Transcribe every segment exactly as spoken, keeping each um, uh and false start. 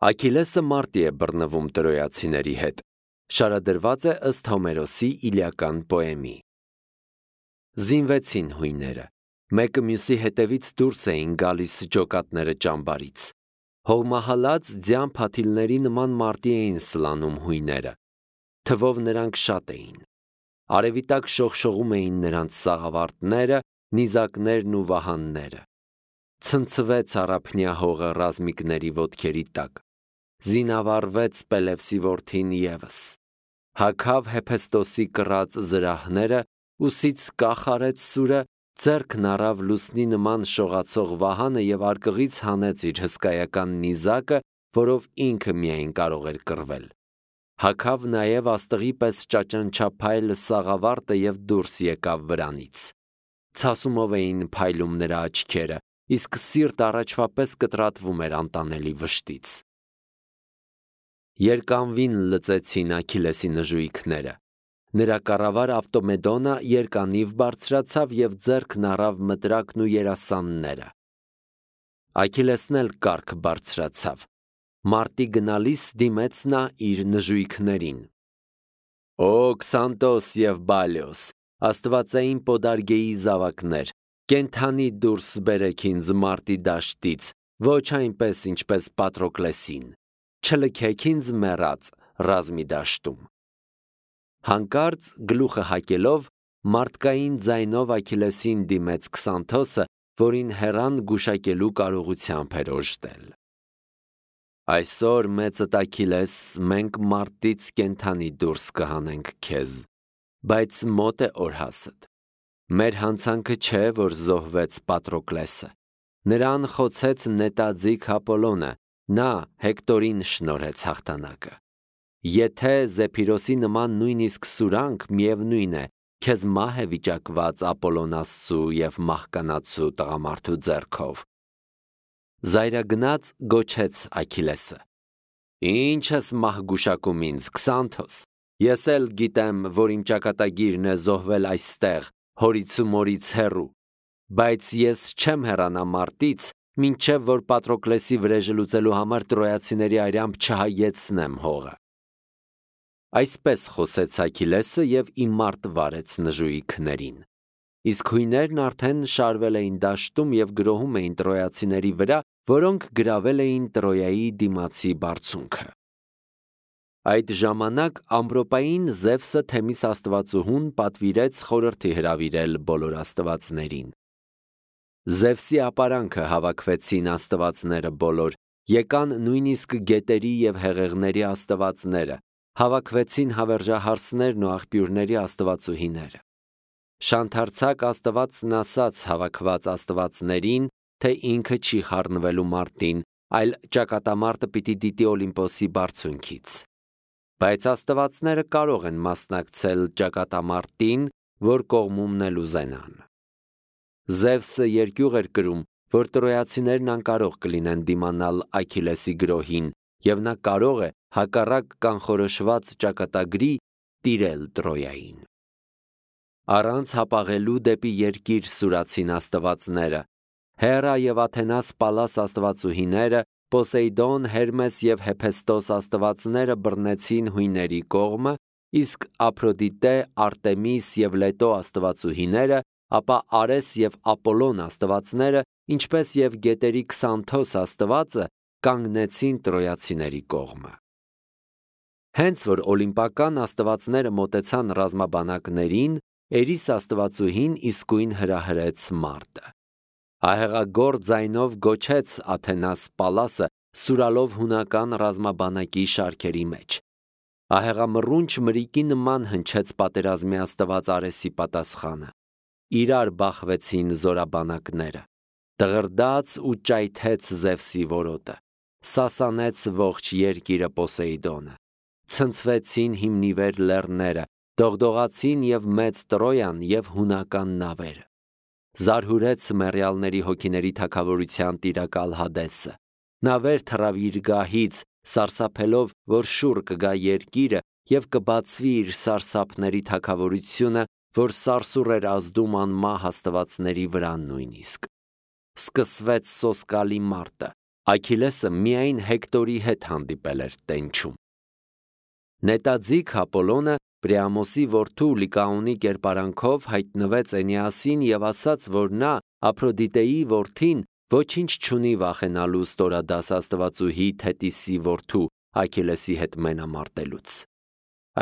Աքիլեսը մարտի է բռնվում տրոյացիների հետ։ Շարադրված է ըստ Հոմերոսի Իլիական պոեմի։ Զինվեցին հույները, մեկը մյուսի հետևից դուրս էին գալիս ջոկատները ճամբարից։ Հողմահալած ձյան փաթիլների նման մարտի էին սլանում հույները, թվով նրանք շատ էին։ Արևի տակ շողշողում էին նրանց սաղավարտները, նիզակներն ու վահանները։ Ցնցվեց առափնյա հողը ռազմիկների ոտքերի տակ, զինավառվեց Պելևսի որդին ևս, հագավ Հեփեստոսի կռած զրահները, ուսից կախարեց սուրը, ձեռքն առավ լուսնի նման շողացող վահանը և արկղից հանեց իր հսկայական նիզակը, որով ինքը միայն կարող էր կռվել։ Հագավ նաև աստղի պես ճաճանչափայլ սաղավարտը և դուրս եկավ վրանից։ Ցասումով էին փայլում նրա աչքերը, իսկ սիրտ առաջվա պես կտրատվում էր անտանելի վշտից։ Երկանվին լծեցին Աքիլեսի նժույգները։ Նրա կառավար Ավտոմեդոնը երկանիվ բարձրացավ և ձեռքն առավ մտրակն ու երասանները։ Աքիլեսն էլ կառք բարձրացավ։ Մարտի գնալիս դիմեց նա իր նժույգներին. «Օ Քսանտոս և Բալիոս, աստվածային պոդարգեի զավակներ, կենդանի դուրս բերեք ինձ մարտի դաշտից, ոչ այնպես, ինչպես Պատրոկլեսին, չլքեք ինձ մեռած ռազմի դաշտում»։ Հանկարծ գլուխը հակելով մարդկային ձայնով Աքիլեսին դիմեց Քսանթոսը, որին հեռան գուշակելու կարողությամբ էր օժտել. «Այսօր մեծդ Աքիլես, մենք մարտից կենդանի դուրս կհանենք քեզ, բայց մոտ է օրհասդ։ Մեր հանցանքը չէ, որ զոհվեց Պատրոկլեսը, նրան խոցեց նետաձիգ Ապոլոնը, նա Հեկտորին շնորհեց հաղթանակը։ Եթե Զեփիրոսի նման նույնիսկ սուրանք, միևնույն է, քեզ մահ է վիճակված Ապոլոն աստծու և մահկանացու տղամարդու ձեռքով»։ Զայրագնաց գոչեց Աքիլեսը. «Ինչ ես մահ գուշակում ինձ, Քսանթոս, ես էլ գիտեմ, որ իմ ճակատագիրն է զոհվել այստեղ, հորից ու մորից հեռու, բայց ես չեմ հեռանա մարտից, մինչև որ Պատրոկլեսի վրեժը լուծելու համար տրոյացիների արյամբ չհայեցնեմ հողը»։ Այսպես խոսեց Աքիլեսը և իմարտ վարեց նժույգներին։ Իսկ հույներն արդեն շարվել էին դաշտում և գրոհում էին տրոյացիների վրա, որոնք գրավել էին Տրոյայի դիմացի բարձունքը։ Այդ ժամանակ ամպրոպային Զևսը Թեմիս աստվածուհուն պատվիրեց խորհրդի հրավիրել բոլոր աստվածներին։ Զևսի ապարանքը հավաքվեցին աստվածները բոլոր, եկան նույնիսկ գետերի և հեղեղների աստվածները, հավաքվեցին հավերժահարսներն ու աղբյուրների աստվածուհիները։ Շանթարցակ աստվածն ասաց հավաքված աստվածներին, թե ինքը չի խառնվելու մարտին, այլ ճակատամարտը պիտի դիտի Օլիմպոսի բարձունքից։ Բայց աստվածները կարող են մասնակցել ճակատամարտին, որ կողմումն էլ ուզենան։ Զևսը երկյուղ էր կրում, որ տրոյացիներն անկարող կլինեն դիմանալ Աքիլեսի գրոհին, և նա կարող է հակառակ կանխորոշված ճակատագրի տիրել Տրոյային։ Առանց հապաղելու դեպի երկիր սուրացին աստվածները։ Հերա և Աթենաս Պալաս աստվածուհիները, Պոսեյդոն, Հերմես և Հեփեստոս աստվածները բռնեցին հույների կողմը, իսկ Ափրոդիտե, Արտեմիս և Լետո աստվածուհիները, ապա Արես և Ապոլոն աստվածները, ինչպես և գետերի Քսանթոս աստվածը, կանգնեցին տրոյացիների կողմը։ Հենց որ օլիմպական աստվածները մոտեցան ռազմաբանակներին, Էրիս աստվածուհին իսկույն հրահրեց մարտը։ Ահեղագործ ձայնով գոչեց Աթենաս Պալասը, սուրալով հունական ռազմաբանակի շարքերի մեջ։ Ահեղամռունչ մրիկի նման հնչեց պատերազմի աստված Արեսի պատասխանը։ Իրար բախվեցին զորաբանակները։ Դղրդաց ու ճայթեց Զևսի որոտը։ Սասանեց ողջ երկիրը Պոսեյդոնը։ Ցնցվեցին հիմնիվեր լեռները, դողդողացին և մեծ Տրոյան և հունական նավերը։ Զարհուրեց մեռյալների հոգիների թագավորության տիրակալ Հադեսը։ Նա վեր թռավ իր գահից, սարսափելով, որ շուռ կգա երկիրը և կբացվի իր սարսափների թագավորությունը, որ սարսուռ էր ազդում անմահ աստվածների վրա նույնիսկ։ Սկսվեց սոսկալի մարտը, Աքիլեսը միայն Հեկտորի հետ հանդիպել էր տենչում։ Նետաձիգ Ապոլոնը Պրիամոսի որդու Լիկաոնի կերպարանքով հայտնվեց Էնեասին եւ ասաց, որ նա Ափրոդիտեի որդին ոչինչ չունի վախենալու ստորադաս աստվածուհի Թետիսի որդու Աքիլեսի հետ մենամարտելուց։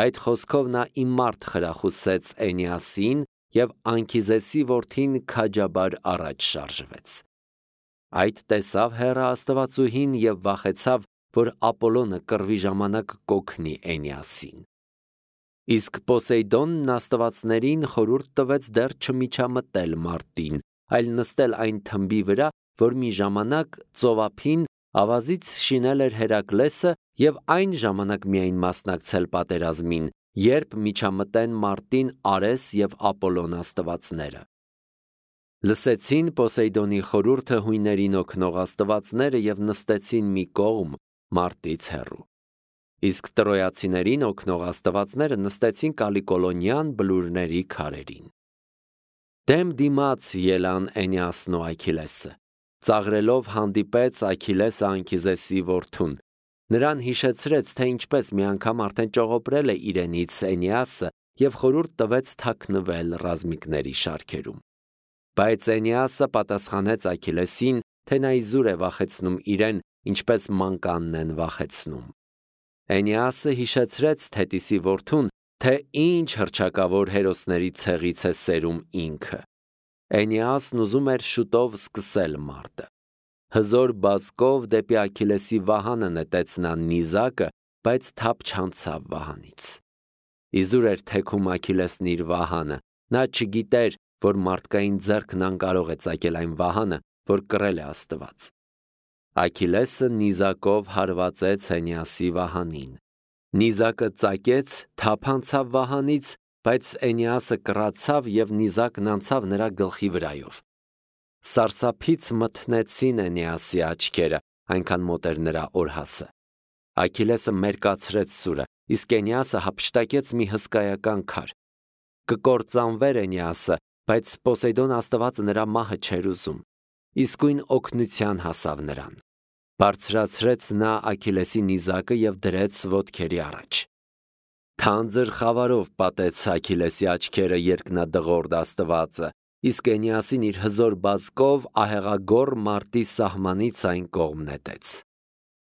Այդ խոսքով նա իմարտ խրախուսեց Էնեասին եւ Անքիզեսի որդին քաջաբար առաջ շարժվեց։ Այդ տեսավ հեռը աստվածուհին եւ վախեցավ, որ Ապոլոնը կռվի ժամանակ կօգնի Էնեասին։ Իսկ Պոսեյդոնն աստվածներին խորհուրդ տվեց դեռ չմիջամտել մարտին, այլ նստել այն թմբի վրա, որ մի ժամանակ ծովափին ավազից շինել էր Հերակլեսը եւ այն ժամանակ միայն մասնակցել պատերազմին, երբ միջամտեն մարտին Արես եւ Ապոլոն աստվածները։ Լսեցին Պոսեյդոնի խորհուրդը հույներին օգնող աստվածները եւ նստեցին մի կողմ մարտից հեռու։ Իսկ տրոյացիներին օգնող աստվածները նստեցին Կալիկոլոնյան բլուրների քարերին։ Դեմ դիմաց ելան Էնեասն ու Աքիլեսը։ Ծաղրելով հանդիպեց Աքիլեսը Անքիզեսի որդուն։ Նրան հիշեցրեց, թե ինչպես մի անգամ արդեն ճողոպրել է իրենից Էնեասը եւ խորհուրդ տվեց թաքնվել ռազմիկների շարքերում։ Բայց Էնեասը պատասխանեց Աքիլեսին, թե նա իզուր է վախեցնում իրեն, ինչպես մանկանն են վախեցնում։ Էնեասը հիշեցրեց Թետիսի որդուն, թե ինչ հռչակավոր հերոսների ցեղից է սերում ինքը։ Էնեասն ուզում էր շուտով սկսել մարտը։ Հզոր բազկով դեպի Աքիլեսի վահանը նետեց նա նիզակը, բայց թափ չանցավ վահանից։ Իզուր էր թեքում Աքիլեսն իր վահանը, նա չգիտեր, որ մարդկային ձեռքն անկարող է ծակել այն վահանը, որ կռել է Աստված։ Աքիլեսը նիզակով հարվածեց Էնեասի վահանին։ Նիզակը ծակեց, թափ անցավ վահանից, բայց Էնեասը կռացավ եւ նիզակն անցավ նրա գլխի վրայով։ Սարսափից մթնեցին Էնեասի աչքերը, այնքան մոտ էր նրա օրհասը։ Աքիլեսը մերկացրեց սուրը, իսկ Էնեասը հափշտակեց մի հսկայական քար։ Կկործանվեր Էնեասը, բայց Պոսեյդոն աստվածը նրա մահը չէր ուզում։ Իսկույն օգնության հասավ նրան։ Բարձրացրեց նա Աքիլեսի նիզակը եւ դրեց ոտքերի առաջ։ Թանձր խավարով պատեց Աքիլեսի աչքերը երկնադղորդ աստվածը, իսկ Էնեասին իր հզոր բազկով ահեղագոր մարտի սահմանից այն կողմ նետեց։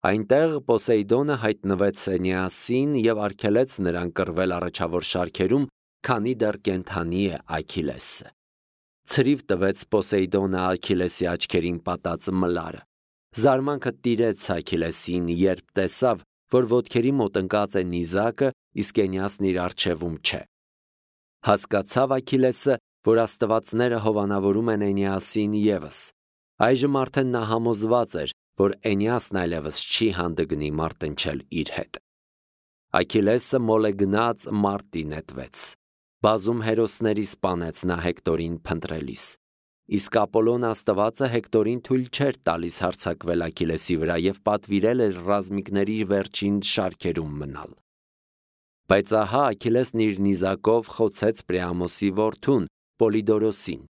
Այնտեղ Պոսեյդոնը հայտնվեց Էնեասին եւ արգելեց նրան կռվել առաջավոր շարքերում, քանի դեռ կենդանի է Աքիլեսը։ Ցրիվ տվեց Պոսեյդոնը Աքիլեսի աչքերին պատած մլարը։ Զարմանքը տիրեց Աքիլեսին, երբ տեսավ, որ ոտքերի մոտ ընկած է նիզակը, իսկ Էնեասն իր առջևում չէ։ Հասկացավ Աքիլեսը, որ աստվածները հովանավորում են Էնեասին եւս։ Այժմ արդեն նա համոզված էր, որ Էնեասն այլևս չի հանդգնի մարտնչել իր հետ։ Աքիլեսը մոլեգնած մարտի նետվեց։ Բազում հերոսների սպանեց նա Հեկտորին փնտրելիս։ Իսկ Ապոլոն աստվածը Հեկտորին թույլ չէր տալիս հարձակվել Աքիլեսի վրա եւ պատվիրել էր ռազմիկների վերջին շարքերում մնալ։ Բայց ահա Աքիլեսն իր նիզակով խոցեց Պրիամոսի որդուն Պոլիդորոսին։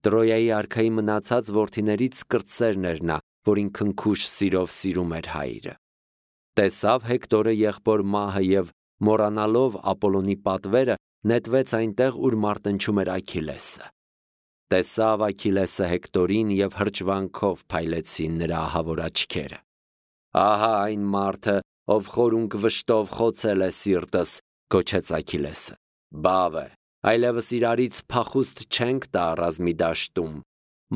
Տրոյայի արքայի մնացած որդիներից կրտսերն էր նա, որին քնքուշ սիրով սիրում էր հայրը։ Տեսավ Հեկտորը եղբոր մահը եւ մոռանալով Ապոլոնի պատվերը նետվեց այնտեղ, ուր մարտնչում էր Աքիլեսը։ Տեսավ Աքիլեսը Հեկտորին եւ հրճվանքով փայլեցին նրա ահավոր աչքերը։ Ահա այն մարդը, ով խորունկ վշտով խոցել է սիրտս, գոչեց Աքիլեսը։ Բավ է, այլևս իրարից փախուստ չենք տա ռազմի դաշտում։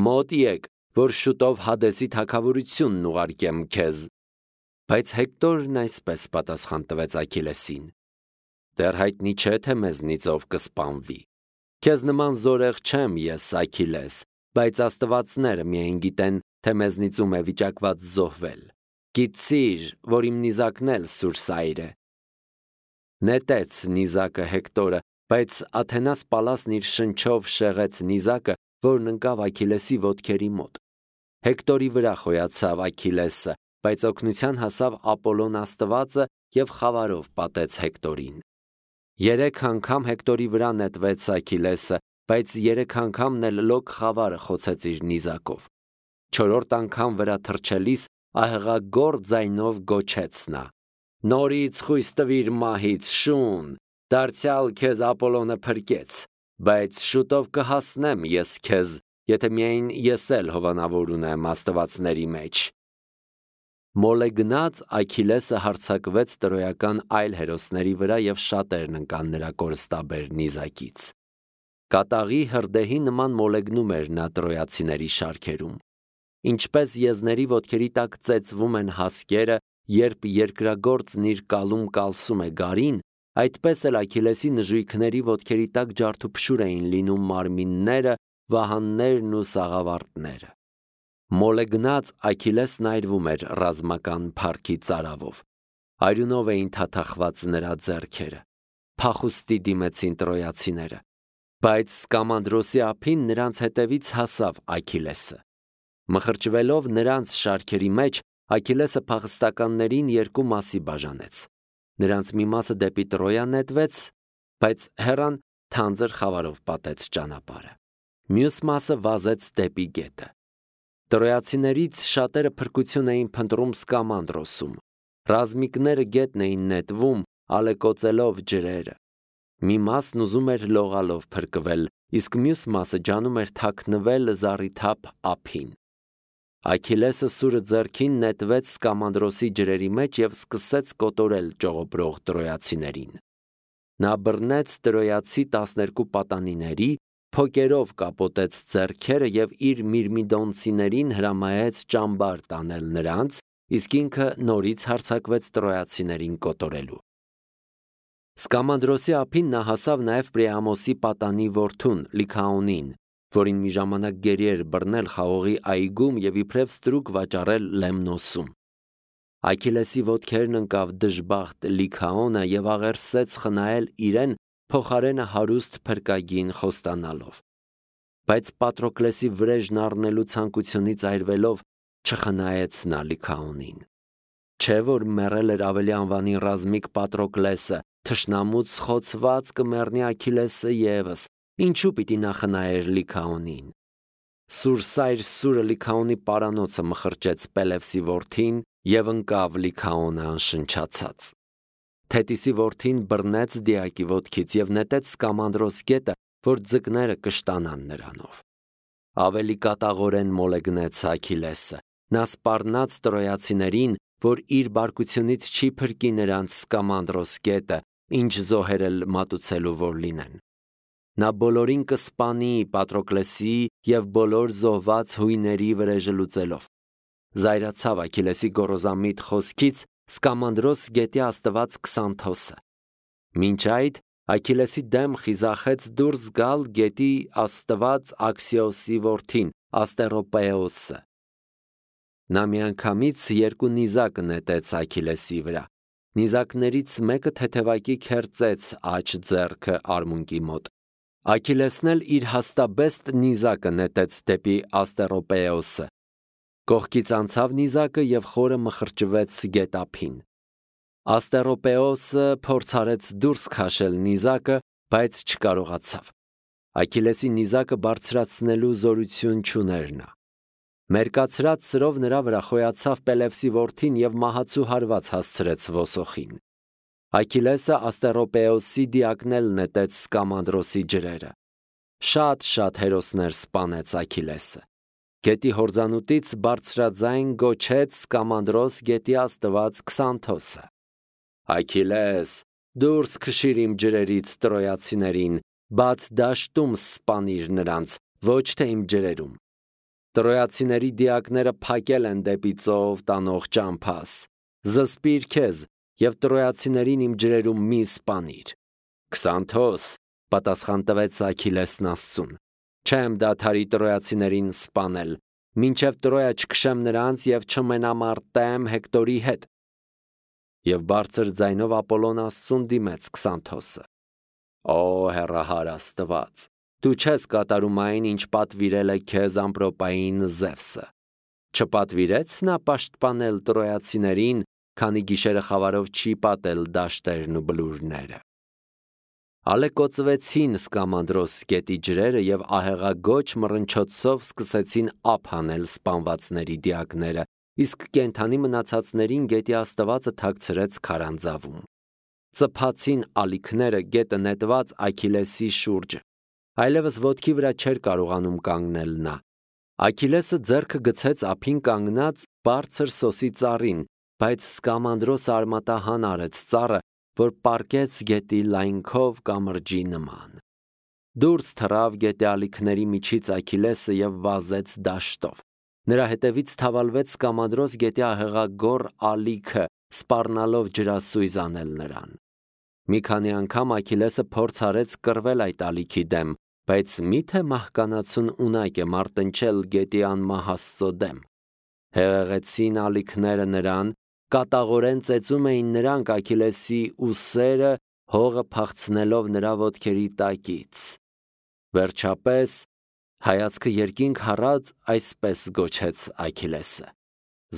Մոտ եք, որ շուտով Հադեսի թագավորությունն ուղարկեմ քեզ։ Բայց Հեկտորն այսպես պատասխան տվեց Աքիլեսին. Դեռ հայտնի չէ, թե մեզնից ով կսպանվի։ Քեզ նման զորեղ չեմ ես, Աքիլես, բայց աստվածները միայն գիտեն, թե մեզնից ում է վիճակված զոհվել։ Գիտցիր, որ իմ նիզակն էլ սուրսայր է։ Նետեց նիզակը Հեկտորը, բայց Աթենաս Պալասն իր շնչով շեղեց նիզակը, որն ընկավ Աքիլեսի ոտքերի մոտ։ Հեկտորի վրա խոյացավ Աքիլեսը, բայց օգնության հասավ Ապոլոն աստվածը եւ խավարով պատեց Հեկտորին։ Երեք անգամ Հեկտորի վրա նետվեց Աքիլեսը, բայց երեք անգամն էլ լոկ խավարը խոցեց իր նիզակով։ Չորրորդ անգամ վրա թռչելիս ահեղագոր ձայնով գոչեց նա. «Նորից խույս տվիր մահից, շուն, դարձյալ քեզ Ապոլոնը փրկեց, բայց շուտով կհասնեմ ես քեզ, եթե միայն ես էլ հովանավոր ունեմ աստվածների մեջ»։ Մոլեգնած Աքիլեսը հարձակվեց տրոյական այլ հերոսների վրա և շատերն ընկան նրա կորստաբեր նիզակից։ Կատաղի հրդեհի նման մոլեգնում էր նա տրոյացիների շարքերում։ Ինչպես եզների ոտքերի տակ ծեծվում են հասկերը, երբ երկրագործն իր կալում կալսում է գարին, այդպես էլ Աքիլեսի նժույգների ոտքերի տակ ջարդուփշուր էին լինում մարմինները, վահաններն ու սաղավարտները։ Մոլեգնած Աքիլեսն այրվում էր ռազմական փառքի ծարավով։ Արյունով էին թաթախված նրա ձեռքերը։ Փախուստի դիմեցին տրոյացիները, բայց Սկամանդրոսի ափին նրանց հետևից հասավ Աքիլեսը։ Մխրճվելով նրանց շարքերի մեջ, Աքիլեսը փախստականներին երկու մասի բաժանեց։ Նրանց մի մասը դեպի Տրոյա նետվեց, բայց հեռան թանձր խավարով պատեց ճանապարհը։ Մյուս մասը վազեց դեպի գետը։ Տրոյացիներից շատերը փրկություն էին փնտրում Սկամանդրոսում։ Ռազմիկները գետն էին նետվում, ալեկոծելով ջրերը։ Մի մասն ուզում էր լողալով փրկվել, իսկ մյուս մասը ջանում էր թաքնվել զառիթափ ափին։ Աքիլեսը սուրը ձեռքին նետվեց Սկամանդրոսի ջրերի մեջ և սկսեց կոտորել ճողոպրող տրոյացիներին։ Նա բռնեց տրոյացի տասներկու պատանիների, փոկերով կապոտեց ձեռքերը և իր միրմիդոնցիներին հրամայեց ճամբար տանել նրանց, իսկ ինքը նորից հարձակվեց տրոյացիներին կոտորելու։ Սկամանդրոսի ափին նա հասավ նաև Պրիամոսի պատանի որդուն Լիքաոնին, որին մի ժամանակ գերի էր բռնել խաղողի այգում և իբրև ստրուկ վաճառել Լեմնոսում։ Աքիլեսի ոտքերն ընկավ դժբախտ Լիքաոնը և աղերսեց խնայել իրեն փոխարենը հարուստ փրկագին խոստանալով։ Բայց Պատրոկլեսի վրեժն առնելու ցանկությունից այրվելով չխնայեց նա Լիքաոնին։ Չէ՞ որ մեռել էր ավելի անվանի ռազմիկ Պատրոկլեսը, թշնամուց խոցված կմեռնի Աքիլեսը ևս, ինչու պիտի նա խնայեր Լիքաոնին։ Սուրսայր սուրը Լիքաոնի պարանոցը մխրճեց Պելևսի որդին և ընկավ Լիքաոնը անշնչացած։ Թետիսի որդին բռնեց Դիակի ոտքից և նետեց Սկամանդրոս գետը, որ ձկները կշտանան նրանով։ Ավելի կատաղորեն մոլեգնեց Աքիլեսը։ Նա սպառնաց տրոյացիներին, որ իր բարկությունից չի փրկի նրանց Սկամանդրոս գետը, ինչ զոհեր էլ մատուցելու որ լինեն։ Նա բոլորին կսպանի Պատրոկլեսի և բոլոր զոհված հույների վրեժը լուծելով։ Զայրացավ Աքիլեսի գոռոզամիտ խոսքից Սկամանդրոս գետի աստված Քսանթոսը։ Մինչ այդ Աքիլեսի դեմ խիզախեց դուրս գալ գետի աստված Աքսիոսի որդին Աստերոպեոսը։ Նա միանգամից երկու նիզակ նետեց Աքիլեսի վրա։ Նիզակներից մեկը թեթևակի քերծեց աջ ձեռքը արմունկի մոտ։ Աքիլեսն էլ իր հաստաբեստ նիզակը նետեց դեպի Աստերոպեոսը։ Կողքից անցավ նիզակը և խորը մխրճվեց գետափին։ Աստերոպեոսը փորձարեց դուրս քաշել նիզակը, բայց չկարողացավ։ Աքիլեսի նիզակը բարձրացնելու զորություն չուներ նա։ Մերկացրած սրով նրա վրա խոյացավ Պելևսի որդին և մահացու հարված հասցրեց ոսոխին։ Աքիլեսը Աստերոպեոսի դիակն էլ նետեց Սկամանդրոսի ջրերը։ Շատ-շատ հերոսներ սպանեց Աքիլեսը։ Գետի հորձանուտից բարձրաձայն գոչեց Սկամանդրոս գետի աստված Քսանթոսը. «Աքիլես, դուրս քշիր իմ ջրերից տրոյացիներին, բաց դաշտում սպանիր նրանց, ոչ թե իմ ջրերում։ Տրոյացիների դիակները փակել են դեպի ծով տանող ճամփաս։ Զսպիր քեզ և տրոյացիներին իմ ջրերում մի սպանիր»։ Քսանթոս, պատասխան տվեց Աքիլեսն Աստծուն, չեմ դադարի տրոյացիներին սպանել, մինչև Տրոյա չքշեմ նրանց և չմենամարտեմ Հեկտորի հետ։ Եվ բարձր ձայնով Ապոլոն Աստծուն դիմեց Քսանթոսը. «Օ հեռահար Աստված, դու չես կատարում այն, ինչ պատվիրել է քեզ ամպրոպային Զևսը։ Չպատվիրե՞ց նա պաշտպանել տրոյացիներին, քանի գիշերը խավարով չի պատել դաշտերն ու բլուրները»։ Ալեկոծվեցին Սկամանդրոս գետի ջրերը և ահեղագոչ մռնչոցով սկսեցին ափ հանել սպանվածների դիակները, իսկ կենդանի մնացածներին գետի աստվածը թաքցրեց քարանձավում։ Ծփացին ալիքները գետը նետված Աքիլեսի շուրջը, այլևս ոտքի վրա չէր կարողանում կանգնել նա։ Աքիլեսը ձեռքը գցեց ափին կանգնած բարձր սոսի ծառին, բայց Սկամանդրոսը արմատահան արեց ծառը, որ պառկեց գետի լայնքով կամրջի նման։ Դուրս թռավ գետի ալիքների միջից Աքիլեսը և վազեց դաշտով։ Նրա հետևից թավալվեց Սկամանդրոս գետի ահեղագոռ ալիքը, սպառնալով ջրասույզ անել նրան։ Մի քանի անգամ Աքիլեսը փորձ արեց կռվել այդ ալիքի դեմ, բայց մի՞թե մահկանացուն ունակ է մարտնչել գետի անմահ Աստծո դեմ։ Հեղեղեցին ալիքները նրան, կատաղորեն ծեծում էին նրանք Աքիլեսի ուսերը, հողը փախցնելով նրա ոտքերի տակից։ Վերջապես, հայացքը երկինք հառած, այսպես գոչեց Աքիլեսը.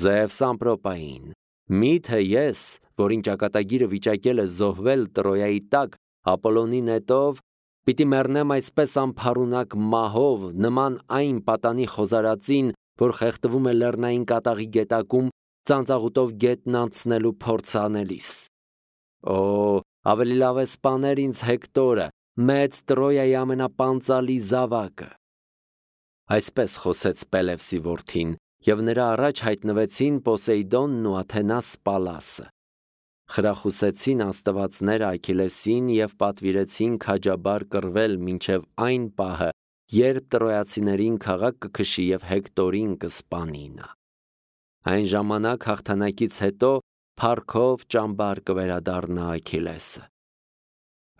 «Զևս ամպրոպային, մի՞թե ես, որին ճակատագիրը վիճակել է զոհվել Տրոյայի տակ Ապոլոնի նետով, պիտի մեռնեմ այսպես անփառունակ մահով, նման այն պատանի խոզարածին, որ խեղդվում է լեռնային կատաղի գետակում ծանծաղուտով գետն անցնելու փորձ անելիս։ Օ, ավելի լավ է սպաներ ինձ Հեկտորը, մեծ Տրոյայի ամենապանծալի զավակը»։ Այսպես խոսեց Պելևսի որդին, և նրա առաջ հայտնվեցին Պոսեյդոնն ու Աթենաս Պալասը։ Խրախուսեցին աստվածները Աքիլեսին և պատվիրեցին քաջաբար կռվել մինչև այն պահը, երբ տրոյացիներին քաղաք կքշի և Հեկտորին կսպանի նա։ Այն ժամանակ հաղթանակից հետո փառքով ճամբար կվերադառնա Աքիլեսը։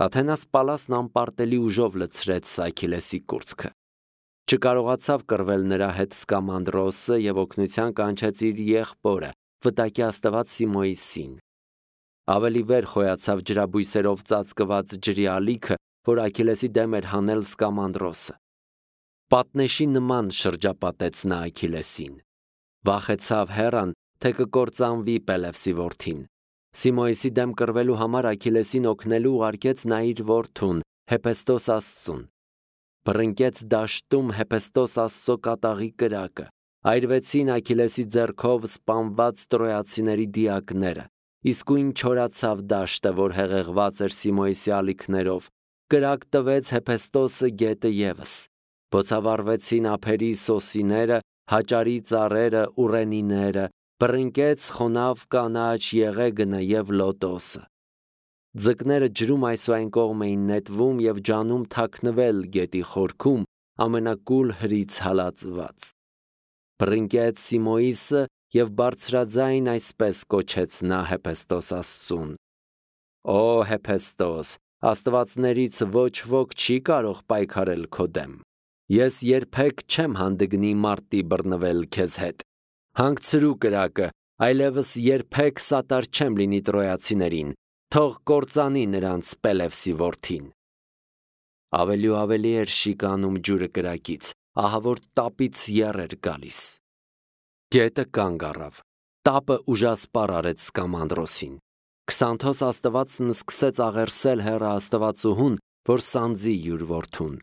Աթենաս Պալասն անպարտելի ուժով լցրեց Աքիլեսի կուրծքը։ Չկարողացավ կռվել նրա հետ Սկամանդրոսը և օգնության կանչեց իր եղբորը, վտակի աստված Սիմոիսին։ Ավելի վեր խոյացավ ջրաբույսերով ծածկված ջրի ալիքը, որ Աքիլեսի դեմ էր հանել Սկամանդրոսը։ Պատնեշի նման շրջապատեց նա Աքիլեսին։ Վախեցավ հեռան, թե կկործանվի Պելևսի որդին։ Սիմոիսի դեմ կռվելու համար Աքիլեսին օգնելու ուղարկեց նա իր որդուն Հեփեստոս աստծուն։ Բռնկեց դաշտում Հեփեստոս աստծո կատաղի կրակը, այրվեցին Աքիլեսի ձեռքով սպանված տրոյացիների դիակները, իսկույն չորացավ դաշտը, որ հեղեղված էր Սիմոիսի ալիքներով, կրակ տվեց Հեփեստոսը գետը ևս, բոցավառվեցին ափերի սոսիները, հաճարի ծառերը, ուռենիները, բռնկեց խոնավ կանաչ եղեգնը և լոտոսը։ Ձկները ջրում այսուայն կողմ էին նետվում և ջանում թաքնվել գետի խորքում, ամենակուլ հրից հալածված։ Բռնկեց Սիմոիսը և բարձրաձայն այսպես կոչեց նա Հեփեստոս աստծուն. «Օ Հեփեստոս, աստվածներից ոչ ոք չի կարող պայքարել քո դեմ։ Ես երբեք չեմ հանդգնի մարտի բռնվել քեզ հետ։ Հանգցրու կրակը, այլևս երբեք սատար չեմ լինի տրոյացիներին, թող կործանի նրանց Պելևսի որդին»։ Ավելի ու ավելի էր շիկանում ջուրը կրակից, ահա որ տապից եռ էր գալիս։ Գետը կանգ առավ, տապը ուժասպառ արեց Սկամանդրոսին։ Քսանթոս աստվածն սկսեց աղերսել հեռը աստվածուհուն, որ սանձի յուր որդուն։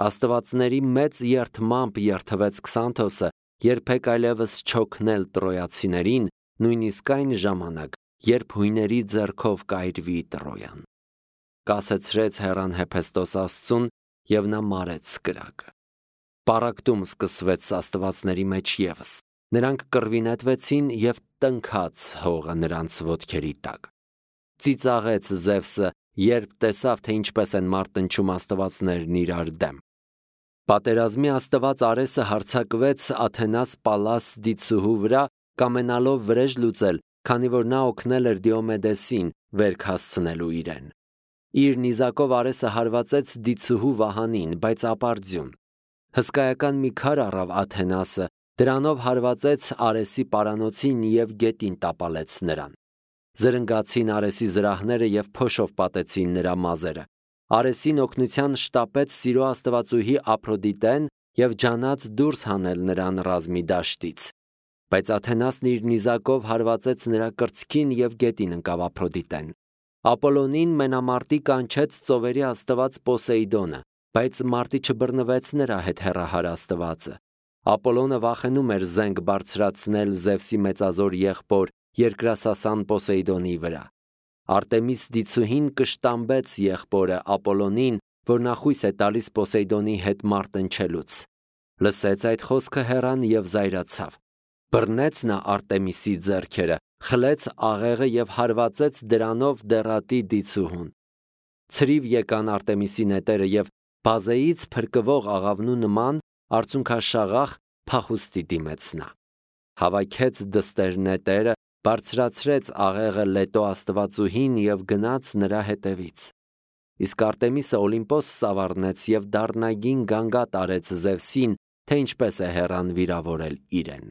Աստվածների մեծ երդմամբ երդվեց Քսանթոսը, երբեք այլևս չօգնել տրոյացիներին, նույնիսկ այն ժամանակ, երբ հույների ձեռքով կայրվի Տրոյան։ Կասեցրեց հեռան Հեփեստոս աստծուն, և նա մարեց կրակը։ Պառակտում սկսվեց աստվածների մեջ ևս, նրանք կռվի նետվեցին և տնքաց հողը նրանց ոտքերի տակ։ Ծիծաղեց Զևսը, երբ տեսավ, թե ինչպես են մարտնչում աստվածներն իրար դեմ։ Պատերազմի աստված Արեսը հարձակվեց Աթենաս Պալաս դիցուհու վրա, կամենալով վրեժ լուծել, քանի որ նա օգնել էր Դիոմեդեսին վերք հասցնելու իրեն։ Իր նիզակով Արեսը հարվածեց դիցուհու վահանին, բայց ապարդյուն։ Հսկայական մի քար առավ Աթենասը, դրանով հարվածեց Արեսի պարանոցին և գետին տապալեց նրան։ Զրնգացին Արեսի զրահները և փոշով պատեցին նրա մազերը։ Արեսին օգնության շտապեց սիրո աստվածուհի Ափրոդիտեն և ջանաց դուրս հանել նրան ռազմի դաշտից։ Բայց Աթենասն իր նիզակով հարվածեց նրա կրծքին և գետին ընկավ Ափրոդիտեն։ Ապոլոնին մենամարտի կանչեց ծովերի աստված Պոսեյդոնը, բայց մարտի չբռնվեց նրա հետ հեռահար աստվածը։ Ապոլոնը վախենում էր զենք բարձրացնել Զևսի մեծազոր եղբոր երկրասասան Պոսեյդոնի վրա։ Արտեմիս դիցուհին կշտամբեց եղբորը Ապոլոնին, որ նա խույս է տալիս Պոսեյդոնի հետ մարտնչելուց։ Լսեց այդ խոսքը հեռան և զայրացավ։ Բռնեց նա Արտեմիսի ձեռքերը, խլեց աղեղը և հարվածեց դրանով դեռատի դիցուհուն։ Ցրիվ եկան Արտեմիսի նետերը և բազեից փրկվող աղավնու նման արցունքաշաղախ փախուստի դիմեց նա։ Հավաքեց դստեր նետերը, բարձրացրեց աղեղը Լետո աստվածուհին և գնաց նրա հետևից։ Իսկ Արտեմիսը Օլիմպոս սավառնեց և դառնագին գանգատ արեց Զևսին, թե ինչպես է հեռան վիրավորել իրեն։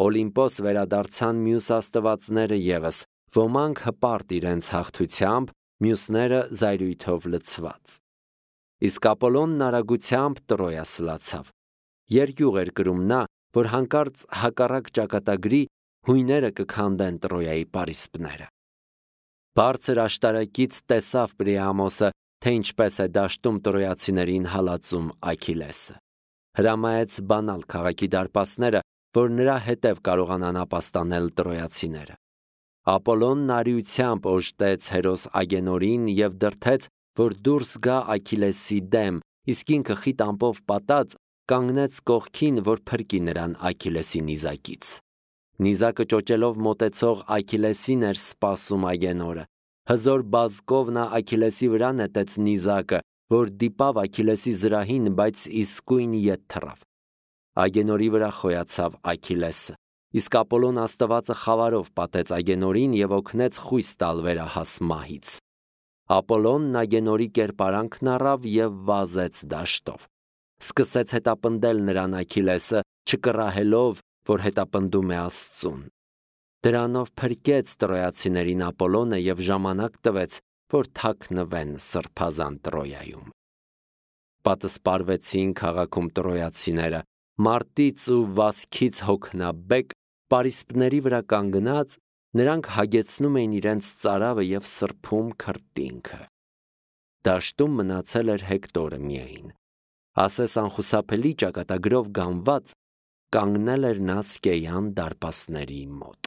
Օլիմպոս վերադարձան մյուս աստվածները ևս, ոմանք հպարտ իրենց հաղթությամբ, մյուսները զայրույթով լցված։ Իսկ Ապոլոնն արագությամբ Տրոյա սլացավ։ Երկյուղ էր կրում նա, որ հանկարծ հակառակ ճակատագրի հույները կքանդեն Տրոյայի պարիսպները։ Բարձր աշտարակից տեսավ Պրիամոսը, թե ինչպես է դաշտում տրոյացիներին հալածում Աքիլեսը։ Հրամայեց բանալ քաղաքի դարպասները, որ նրա հետև կարողանան ապաստանել տրոյացիները։ Ապոլոնն արիությամբ օժտեց հերոս Ագենորին և դրդեց, որ դուրս գա Աքիլեսի դեմ, իսկ ինքը խիտ ամպով պատած կանգնեց կողքին, որ փրկի նրան Աքիլեսի նիզակից։ Նիզակը ճոճելով մոտեցող Աքիլեսին էր սպասում Ագենորը։ Հզոր բազկով նա Աքիլեսի վրա նետեց նիզակը, որ դիպավ Աքիլեսի զրահին, բայց իսկույն ետ թռավ։ Ագենորի վրա խոյացավ Աքիլեսը, իսկ Ապոլոն աստվածը խավարով պատեց Ագենորին և օգնեց խույս տալ վերահաս մահից։ Ապոլոնն Ագենորի կերպարանքն առավ և վազեց դաշտով։ Սկսեց հետապնդել նրան Աքիլեսը, չկռահելով, որ հետապնդում է Աստծուն։ Դրանով փրկեց տրոյացիներին Ապոլոնը և ժամանակ տվեց, որ թաքնվեն սրբազան Տրոյայում։ Պատսպարվեցին քաղաքում տրոյացիները, մարտից ու վազքից հոգնաբեկ, պարիսպների վրա կանգնած, նրանք հագեցնում էին իրենց ծարավը և սրբում քրտինքը։ Դաշտում մնացել էր Հեկտորը միայն։ Ասես անխուսափելի ճակատագրով գանված կանգնել էր նա Սկեյան դարպասների մոտ։